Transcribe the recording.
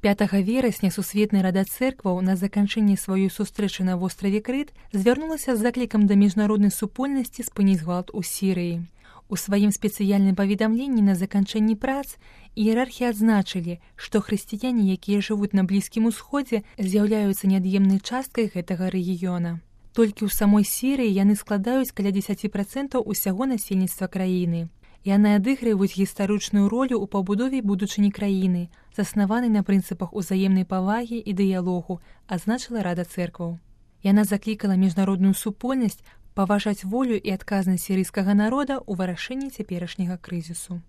5 верасня Сусветная Рада Цэркваў на заканчэнні сваёй сустрэчы на востраве Крыт звярнулася з заклікам да міжнароднай супольнасці спыніць гвалт у Сірыі. У сваім спецыяльным паведамленні на заканчэнні прац іерархі адзначылі, што хрысціяне, якія жывуць на Блізкім Усходзе, з'яўляюцца неад'емнай часткай гэтага рэгіёна. Толькі ў самой Сірыі яны складаюць каля 10% усяго насельніцтва краіны. Яны адыгрываюць гістарычную ролю ў пабудове будучыні краіны, заснаванай на прынцыпах узаемнай павагі і дыялогу, адзначыла Рада Цэркваў. Яна заклікала міжнародную супольнасць паважаць волю і адказнасць сірыйскага народа ў вырашэнні цяперашняга крызісу.